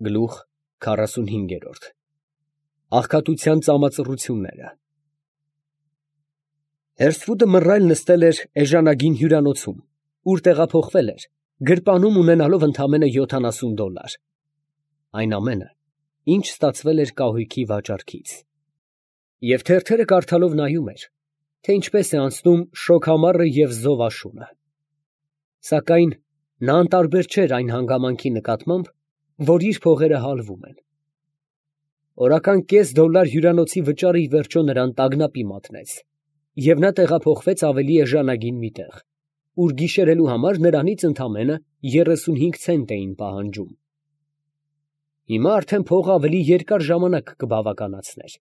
Գլուխ 45 Աղքատության ծամածռությունները Հերսվուդը մռայլ նստել էր էժանագին հյուրանոցում, ուր տեղափոխվել էր, գրպանում ունենալով ընդամենը $70. Այն ամենը, ինչ ստացվել էր կահույքի վաճառքից։ Եվ թերթերը կարդալով նայում էր, թե ինչպես է անցնում շոգ ամառը և զով աշունը։ Սակայն նա անտարբեր չէր այն հանգամանքի նկատմամբ, որ իր փողերը հալվում են։ Օրական $0.5 հյուրանոցի վճարը ի վերջո նրան տագնապի մատնեց, և նա տեղափոխվեց ավելի էժանագին մի տեղ, ուր գիշերելու համար նրանից ընդամենը 35 ցենտ էին պահանջում։ Հիմա արդեն փողը ավելի երկար ժամանակ կբավականացներ։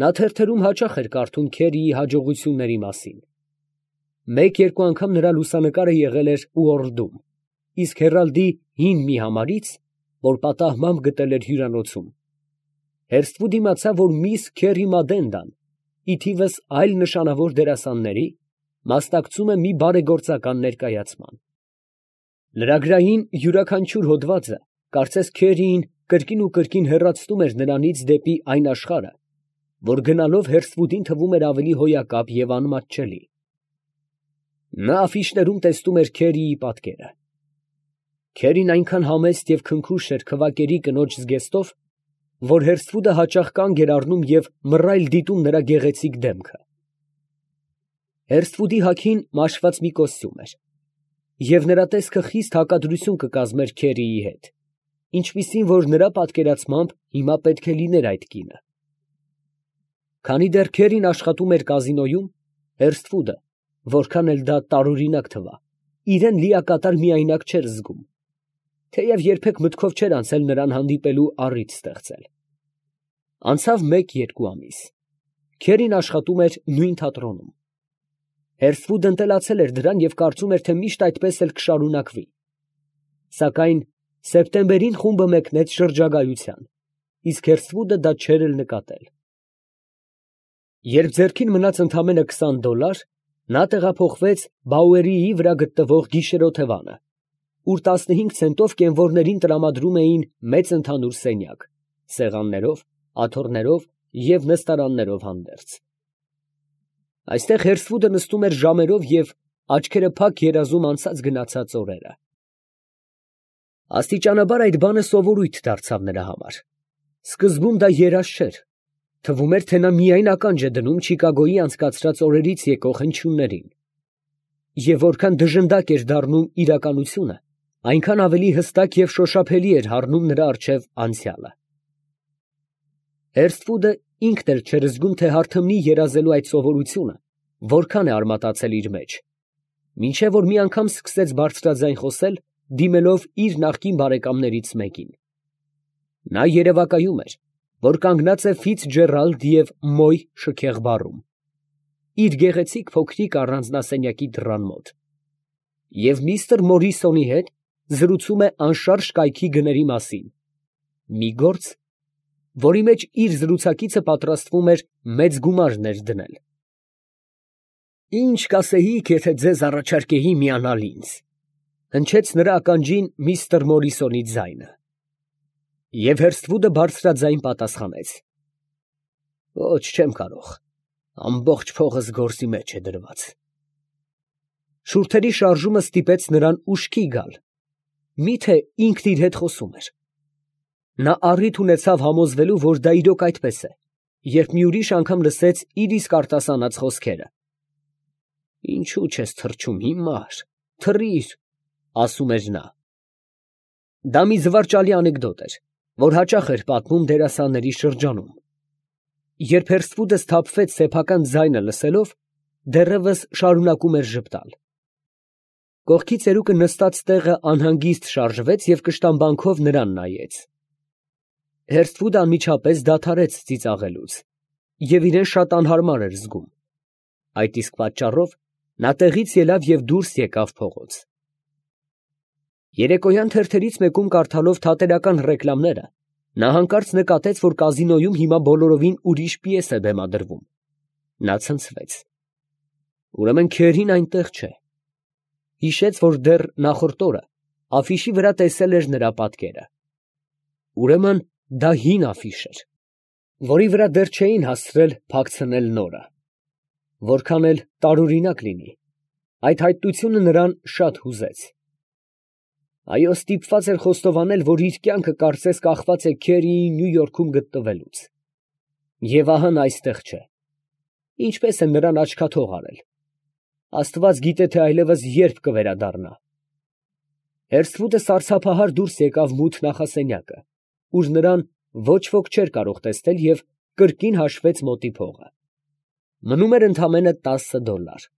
Նա թերթերում հաճախ էր կարդում Քերիի հաջողությունների մասին։ Մեկ-երկու անգամ նրա լուսանկարը եղել էր ուորդում, իսկ Հերալդի հին մի համարից, որ պատահմամբ գտել էր հյուրանոցում, Հերսթվուդ իմացավ, որ միս Քերի Մադենդան, ի թիվս այլ նշանավոր դերասանների, մասնակցում է մի բարեգործական ներկայացման։ Լրագրային յուրաքանչյուր հոդվածը կարծես Քերիին կրկին ու կրկին հեռացնում էր նրանից դեպի այն աշխարհը, որ գնալով Հերսթվուդին թվում էր ավելի հոյակապ և անմատչելի։ Նա աֆիշներում տեսնում էր Քերիի պատկերը։ Քերին այնքան համեստ և քնքուշ էր քվակերի կնոջ զգեստով, որ Հերսթվուդը հաճախ կանգ էր առնում և մռայլ դիտում նրա գեղեցիկ դեմքը։ Հերսթվուդի հագին մաշված մի կոստյում էր, և նրա տեսքը խիստ հակադրություն կկազմեր Քերիի հետ, ինչպիսին որ նրա պատկերացմամբ հիմա պետք է լիներ այդ կինը։ Քանի դեռ Քերին աշխատում էր կազինոյում, Հերսթվուդը, որքան էլ դա տարօրինակ թվա, իրան լիակատար միայնակ չէր զգում, թեև երբեք մտքով չէր անցել նրան հանդիպելու առիթ ստեղծել։ Անցավ 1-2 ամիս։ Քերին աշխատում էր նույն թատրոնում։ Հերսթվուդը ընտելացել էր դրան և կարծում էր, թե միշտ այդպես էլ կշարունակվի։ Սակայն սեպտեմբերին խումբը մեկնեց շրջագայության, իսկ Հերսթվուդը դա չէր էլ նկատել։ Երբ ձեռքին մնաց ընդամենը $20, նա տեղափոխվեց Բաուերիի վրա գտնվող գիշերօթևանը, ուր 15 ցենտով կենվորներին տրամադրում էին մեծ ընդհանուր սենյակ, սեղաններով, աթոռներով և նստարաններով հանդերձ։ Այստեղ Հերսթվուդը նստում էր ժամերով և աչքերը փակ երազում անցած֊գնացած օրերը։ Աստիճանաբար այդ բանը սովորույթ դարձավ նրա համար։ Սկզբում դա երազ չէր, թվում էր, թե նա միայն ականջ է դնում Չիկագոյի անցկացրած օրերից եկող հնչյուններին։ Եվ որքան դժնդակ էր դառնում իրականությունը, այնքան ավելի հստակ և շոշափելի էր հառնում նրա առջև անցյալը։ Հերսթվուդը ինքն էլ չէր զգում, թե հարթմնի երազելու այդ սովորությունը որքան է արմատացել իր մեջ, մինչև որ մի անգամ սկսեց բարձրաձայն խոսել, դիմելով իր նախկին բարեկամներից մեկին։ Նա երևակայում էր, որ կանգնած է Ֆիցջերալդ և Մոյ շքեղ բառում, իր գեղեցիկ փոքրիկ առանձնասենյակի դռան մոտ, և միստր Մորիսոնի հետ զրուցում է անշարժ կայքի գների մասին, մի գործ, որի մեջ իր զրուցակիցը պատրաստվում էր մեծ գումարներ դնել։ «Ի՞նչ կասեիք, եթե ձեզ առաջարկեի միանալ ինձ», ֊ հնչեց նրա ականջին միստր Մորիսոնի ձայնը։ Եվ Հերսթվուդը բարձրաձայն պատասխանեց. «Ոչ, չեմ կարող, ամբողջ փողս գործի մեջ է դրված»։ Շուրթերի շարժումը ստիպեց նրան ուշքի գալ. մի՞թե ինքն իր հետ խոսում էր։ Նա առիթ ունեցավ համոզվելու, որ դա իրոք այդպես է, երբ մի ուրիշ անգամ լսեց իր իսկ արտասանած խոսքերը։ «Ինչո՞ւ չես թռչում, հիմար, թռիր», ֊ ասում էր նա։ Դա մի զվարճալի անեկդոտ էր, որ հաճախ էր պատմում դերասանների շրջանում։ Երբ Հերսթվուդը սթափվեց սեփական ձայնը լսելով, դեռևս շարունակում էր ժպտալ։ Կողքի ծերուկը նստած տեղը անհանգիստ շարժվեց և կշտամբանքով նրան նայեց։ Հերսթվուդը անմիջապես դադարեց ծիծաղելուց և իրան շատ անհարմար էր զգում։ Այդ իսկ պատճառով նա տեղից ելավ և դուրս եկավ փողոց։ Երեկոյան թերթերից մեկում կարդալով թատերական ռեկլամները, նա հանկարծ նկատեց, որ կազինոյում հիմա բոլորովին ուրիշ պիես է բեմադրվում։ Նա ցնցվեց։ Ուրեմն Քերին այնտեղ չէ։ Հիշեց, որ դեռ նախորդ օրը աֆիշի վրա տեսել էր նրա պատկերը։ Ուրեմն դա հին աֆիշ էր, որի վրա դեռ չէին հասցրել փակցնել նորը։ Որքան էլ տարօրինակ լինի, այդ հայտնությունը նրան շատ հուզեց։ Այո, ստիպված էր խոստովանել, որ իր կյանքը կարծես կախված է Քերիի Նյու Յորքում գտնվելուց։ Եվ ահա նա այստեղ չէ։ Ինչպես է նրան աչքաթող արել։ Աստված գիտե, թե այլևս երբ կվերադառնա։ Հերսվուդը սարսափահար դուրս եկավ մութ նախասենյակը, ուր նրան ոչ ոք չէր կարող տեսնել և կրկին հաշվեց մոտի փողը։ Մնում էր ընդամենը $10։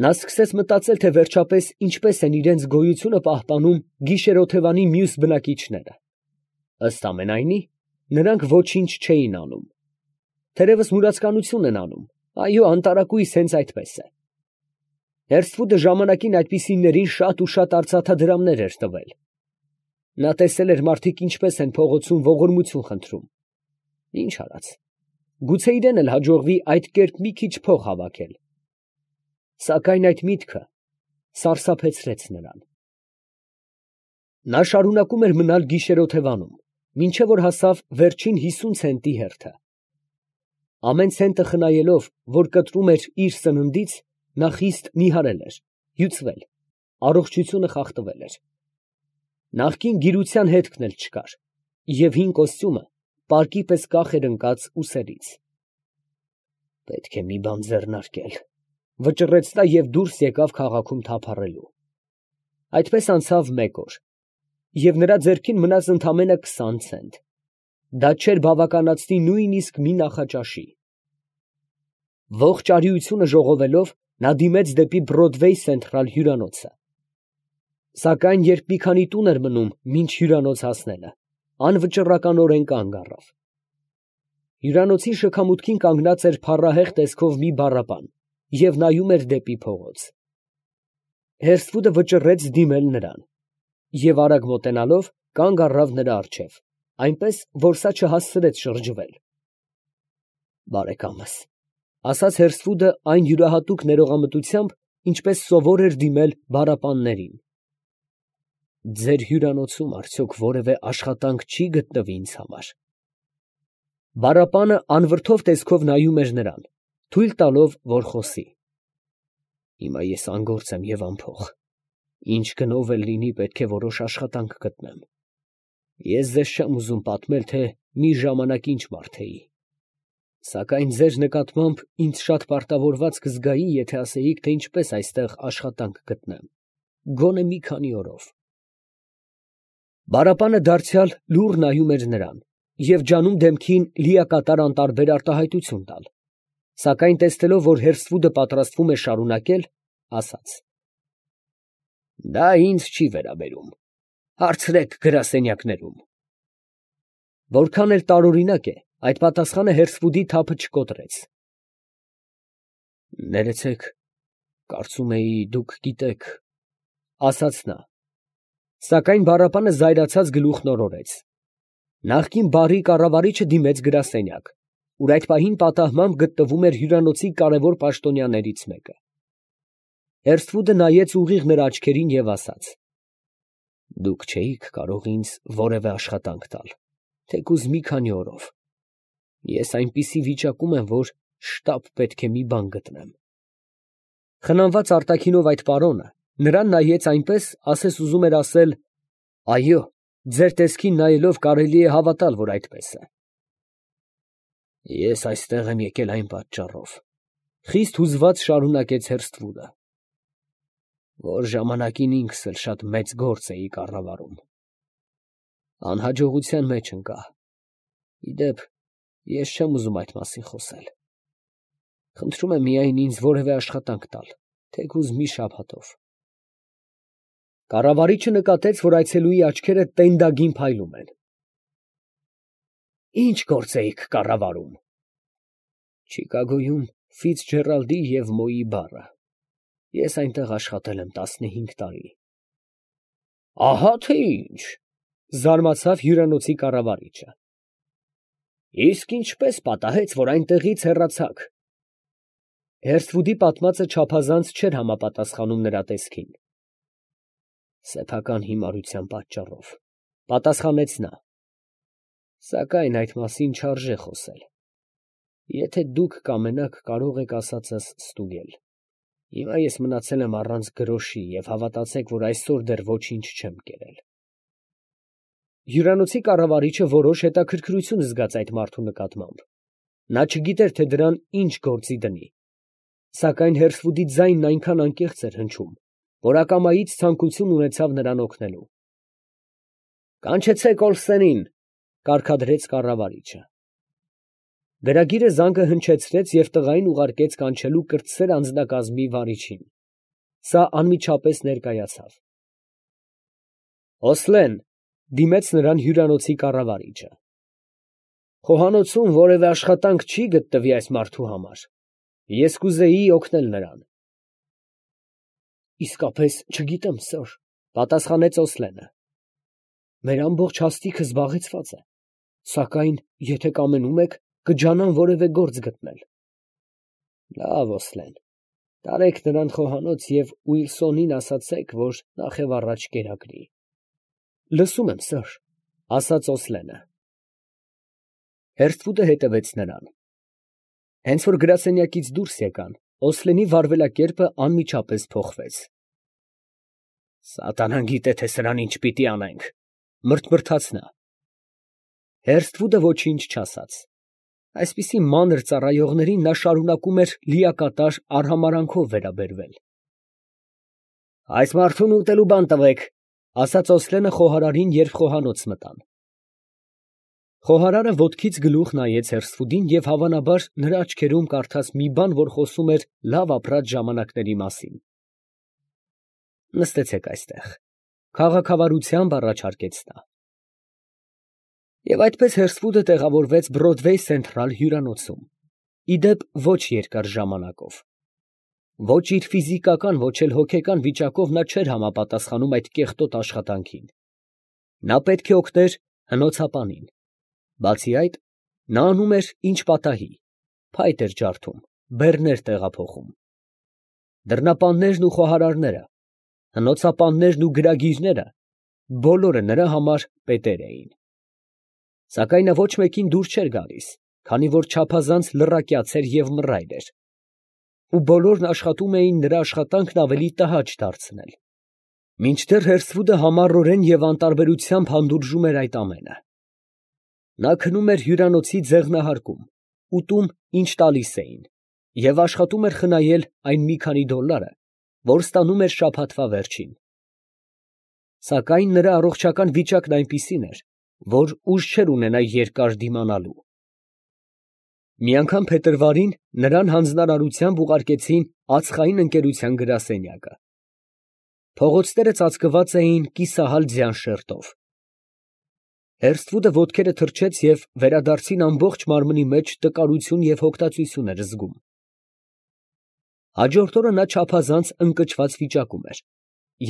Նա սկսեց մտածել, թե վերջապես ինչպես են իրենց գոյությունը պահպանում գիշերօթևանի մյուս բնակիչները։ Ըստ ամենայնի, նրանք ոչինչ չէին անում։ Թերևս մուրացկանություն են անում, այո, անտարակույս հենց այդպես է։ Հերսվուդը ժամանակին այդպիսիներին շատ ու շատ արծաթադրամներ էր տվել։ Նա տեսել էր մարդիկ ինչպես են փողոցում ողորմություն խնդրում։ Ինչ արած, գուցե իրեն էլ հաջողվի այդ կերպ մի քիչ փող հավաքել։ Սակայն այդ միտքը սարսափեցրեց նրան։ Նա շարունակում էր մնալ գիշերօթևանում, մինչև որ հասավ վերջին 50 ցենտի հերթը։ Ամեն ցենտը խնայելով, որ կտրում էր իր սննդից, նա խիստ նիհարել էր, հյուծվել, առողջությունը խախտվել էր։ Նախկին գիրության հետքն էլ չկար, և հին կոստյումը պարկի պես կախ էր ընկած ուսերից։ Պետք է մի բան ձեռնարկել, վճռեց նա և դուրս եկավ քաղաքում թափառելու։ Այդպես անցավ մեկ օր, և նրա ձեռքին մնաց ընդամենը 20 ցենտ։ Դա չէր բավականացնի նույնիսկ մի նախաճաշի։ Ողջ արիությունը ժողովելով, նա դիմեց դեպի Բրոդվեյ Սենթրալ հյուրանոցը։ Սակայն երբ մի քանի տուն էր մնում մինչ հյուրանոց հասնելը, անվճռականորեն կանգ առավ։ Հյուրանոցի շքամուտքին կանգնած էր փառահեղ տեսքով մի բառապան և նայում էր դեպի փողոց։ Հերսվուդը վճռեց դիմել նրան և արագ մոտենալով կանգ առավ նրա առջև, այնպես, որ սա չհասցրեց շրջվել։ Բարեկամս, ֊ ասաց Հերսվուդը այն յուրահատուկ ներողամտությամբ, ինչպես սովոր էր դիմել բառապաններին։ Ձեր հյուրանոցում արդյոք որևէ աշխատանք չի գտնվի ինձ համար։ Բառապանը անվրդով տեսքով նայում էր նրան, թույլ տալով, որ խոսի։ Հիմա ես անգործ եմ և անփող։ Ինչ գնով էլ լինի, պետք է որոշ աշխատանք գտնեմ։ Ես ձեզ չեմ ուզում պատմել, թե մի ժամանակ ինչ մարդ էի։ Սակայն ձեր նկատմամբ ինձ շատ պարտավորված կզգայի, եթե ասեիք, թե ինչպես այստեղ աշխատանք գտնեմ, գոնե մի քանի օրով։ Բառապանը դարձյալ լուռ նայում էր նրան և ջանում դեմքին լիակատար անտարբեր արտահայտություն տալ, սակայն տեսնելով, որ Հերսվուդը պատրաստվում է շարունակել, ասաց. Դա ինձ չի վերաբերում, հարցրեք գրասենյակներում։ Որքան էլ տարօրինակ է, այդ պատասխանը Հերսվուդի թափը չկոտրեց։ Ներեցեք, կարծում էի դուք գիտեք, ֊ ասաց նա։ Սակայն բառապանը զայրացած գլուխն օրորեց։ Նախկին բարի կառավարիչը դիմեց գրասենյակ, ուր այդ պահին պատահմամբ գտնվում էր հյուրանոցի կարևոր պաշտոնյաներից մեկը։ Հերսվուդը նայեց ուղիղ նրա աչքերին և ասաց. Դուք չէիք կարող ինձ որևէ աշխատանք տալ, թեկուզ մի քանի օրով։ Ես այնպիսի վիճակում եմ, որ շտապ պետք է մի բան գտնեմ։ Խնամված արտաքինով այդ պարոնը նրան նայեց այնպես, ասես ուզում էր ասել. այո, ձեր տեսքին նայելով կարելի է հավատալ, որ այդպես է։ Ես այստեղ եմ եկել այն պատճառով, խիստ հուզված շարունակեց Հերսվուդը, որ ժամանակին ինքս էլ շատ մեծ գործ էի կառավարում։ Անհաջողության մեջ ընկա։ Ի դեպ, ես չեմ ուզում այդ մասին խոսել։ Խնդրում եմ միայն ինձ որևէ աշխատանք տալ, թեկուզ մի շաբաթով։ Կառավարիչը նկատեց, որ այցելուի աչքերը տենդագին փայլում են։ Ինչ գործ էիք կառավարում։ Չիկագոյում Ֆիցջերալդի և Մոյի բառը։ Ես այնտեղ աշխատել եմ 15 տարի։ Ահա թե ինչ, ֊ զարմացավ հյուրանոցի կառավարիչը։ Իսկ ինչպես պատահեց, որ այնտեղից հեռացաք։ Հերսվուդի պատմածը չափազանց չէր համապատասխանում նրա տեսքին։ Սեփական հիմարության պատճառով, Պատասխանեց նա. Սակայն այդ մասին չարժե խոսել. եթե դուք կամենաք, կարող եք ասածս ստուգել. հիմա ես մնացել եմ առանց գրոշի և հավատացեք, որ այսօր դեռ ոչինչ չեմ կերել։ Հյուրանոցի կառավարիչը որոշ հետաքրքրություն զգաց այդ մարդու նկատմամբ. նա չգիտեր, թե դրան ինչ գործի դնի, սակայն Հերսվուդի ձայնն այնքան անկեղծ էր հնչում, որ ակամայից ցանկություն ունեցավ նրան օգնելու։ «Կանչեցեք Օլսենին», կարգադրեց կառավարիչը։ Գրագիրը զանգը հնչեցրեց և տղային ուղարկեց կանչելու կրտսեր անձնակազմի վարիչին։ Սա անմիջապես ներկայացավ։ Օսլեն, դիմեց նրան հյուրանոցի կառավարիչը։ Խոհանոցում որևէ աշխատանք չի գտնվի այս մարդու համար։ Ես կուզեի օգնել նրան։ Իսկապես չգիտեմ, սըր, պատասխանեց Օսլենը։ Մեր ամբողջ հաստիքը զբաղեցված է, սակայն եթե կամենում եք, կջանամ որևէ գործ գտնել։ Լավ, Օսլեն, տարեք նրան խոհանոց և Ուիլսոնին ասացեք, որ նախ և առաջ կերակրի։ Լսում եմ, սըր, ասաց Օսլենը։ Հերսվուդը հետևեց նրան։ Հենց որ գրասենյակից դուրս եկան, Օսլենի վարվելակերպը անմիջապես փոխվեց։ Սատանան գիտե, թե սրան ինչ պիտի անենք, մրթմրթաց նա։ Հերսվուդը ոչինչ չասաց։ Այսպիսի մանր ծառայողներին նա շարունակում էր լիակատար արհամարանքով վերաբերվել։ Այս մարդուն ուտելու բան տվեք, ասաց Օսլենը խոհարարին, երբ խոհանոց մտան։ Խոհարարը ոտքից գլուխ նայեց Հերսվուդին և հավանաբար նրա աչքերում կարդաց մի բան, որ խոսում էր լավ ապրած ժամանակների մասին։ Նստեցեք այստեղ, քաղաքավարությամբ առաջարկեց նա։ Եվ այդպես Հերսվուդը տեղավորվեց Բրոդվեյ Սենթրալ հյուրանոցում, ի դեպ ոչ երկար ժամանակով։ Ոչ իր ֆիզիկական, ոչ էլ հոգեկան վիճակով նա չէր համապատասխանում այդ կեղտոտ աշխատանքին։ Նա պետք է օգներ հնոցապանին։ Բացի այդ, նա անում էր ինչ պատահի, փայտ էր ջարդում, բեռներ տեղափոխում։ Դռնապաններն ու խոհարարները, հնոցապաններն ու գրագիրները բոլորը նրա համար պետեր էին։ Սակայն նա ոչ մեկին դուր չէր գալիս, քանի որ չափազանց լռակյաց էր և մռայլ էր, ու բոլորն աշխատում էին նրա աշխատանքն ավելի տհաճ դարձնել։ Մինչդեռ Հերսվուդը համառորեն և անտարբերությամբ հանդուրժում էր այդ ամենը։ Նա քնում էր հյուրանոցի ձեղնահարկում, ուտում, ինչ տալիս էին, և աշխատում էր խնայել այն մի քանի դոլարը, որ ստանում էր շաբաթվա վերջին։ Սակայն նրա առողջական վիճակն այնպիսին էր, որ ուժ չէր ունենա երկար դիմանալու։ Մի անգամ փետրվարին նրան հանձնարարությամբ ուղարկեցին ածխային ընկերության գրասենյակը։ Փողոցները ծածկված էին կիսահալ ձյան շերտով։ Հերսվուդը ոտքերը թրջեց և վերադարձին ամբողջ մարմնի մեջ տկարություն և հոգտածություն էր զգում։ Հաջորդ օրը նա չափազանց ընկճված վիճակում էր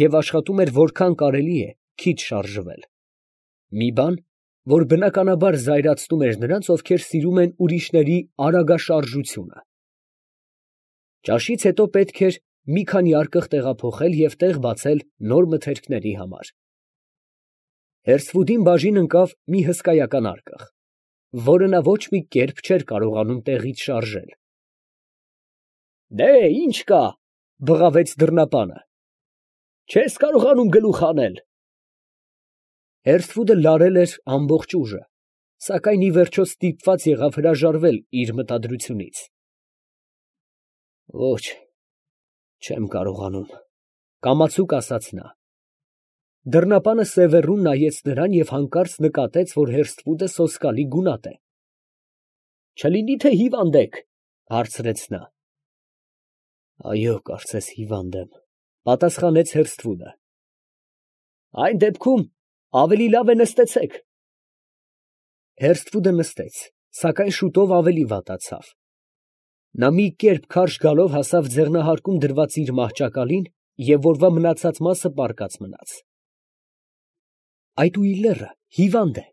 և աշխատում էր որքան կարելի է քիչ շարժվել։ Մի բան, որ բնականաբար զայրացնում էր նրանց, ովքեր սիրում են ուրիշների արագաշարժությունը։ Ճաշից հետո պետք էր մի քանի արկղ տեղափոխել և տեղ բացել նոր մթերքների համար։ Հերսվուդին բաժին ընկավ մի հսկայական արկղ, որը նա ոչ մի կերպ չէր կարողանում տեղից շարժել։ «Դե, ի՞նչ կա», բղավեց դռնապանը։ «Չես կարողանում գլուխ հանել»։ Հերսվուդը լարել էր ամբողջ ուժը, սակայն ի վերջո ստիպված եղավ հրաժարվել իր մտադրությունից։ Ոչ, չեմ կարողանում, կամացուկ ասաց նա։ Դռնապանը սևեռուն նայեց նրան և հանկարծ նկատեց, որ Հերսվուդը սոսկալի գունատ է։ Չլինի՞ թե հիվանդ եք, հարցրեց նա։ Այո, կարծես հիվանդ եմ, պատասխանեց Հերսվուդը։ Այն դեպքում ավելի լավ է նստեցեք։ Հերսվուդը նստեց, սակայն շուտով ավելի վատացավ։ Նա մի կերպ քարշ գալով հասավ ձեղնահարկում դրված իր մահճակալին և որվա մնացած մասը պառկած մնաց։ Այդ ուիլլերը հիվանդ է,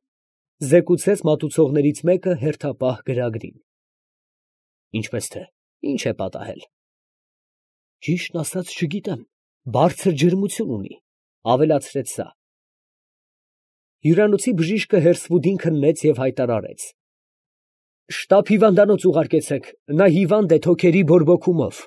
զեկուցեց մատուցողներից մեկը հերթապահ գրագրին։ Ինչպես թե, ինչ է պատահել։ Ճիշտն ասած չգիտեմ, բարձր ջերմություն ունի, ավելացրեց սա։ Հյուրանոցի բժիշկը հերսվուդին քննեց և հայտարարեց. «Շտապ հիվանդանոց ուղարկեցեք, նա հիվանդ է թոքերի բորբոքումով»։